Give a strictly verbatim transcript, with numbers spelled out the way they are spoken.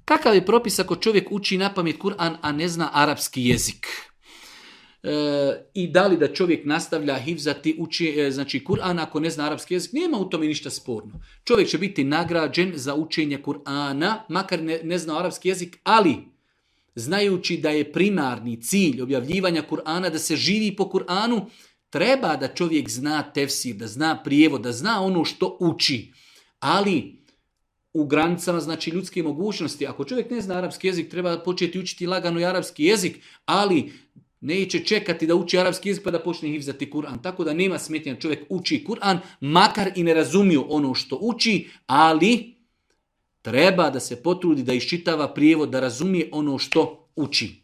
Kakav je propis ako čovjek uči napamet Kur'an, a ne zna arapski jezik? E, I da li da čovjek nastavlja hifzati uči, e, znači Kur'an ako ne zna arapski jezik? Nema u tome ništa sporno. Čovjek će biti nagrađen za učenje Kur'ana, makar ne, ne zna arapski jezik, ali znajući da je primarni cilj objavljivanja Kur'ana da se živi po Kur'anu, treba da čovjek zna tefsir, da zna prijevod, da zna ono što uči. Ali u granicama znači ljudske mogućnosti. Ako čovjek ne zna arapski jezik, treba početi učiti lagano i arapski jezik, ali neće čekati da uči arapski jezik pa da počne hifzati Kur'an. Tako da nema smetnja, čovjek uči Kur'an, makar i ne razumio ono što uči, ali treba da se potrudi da iščitava prijevod, da razumije ono što uči.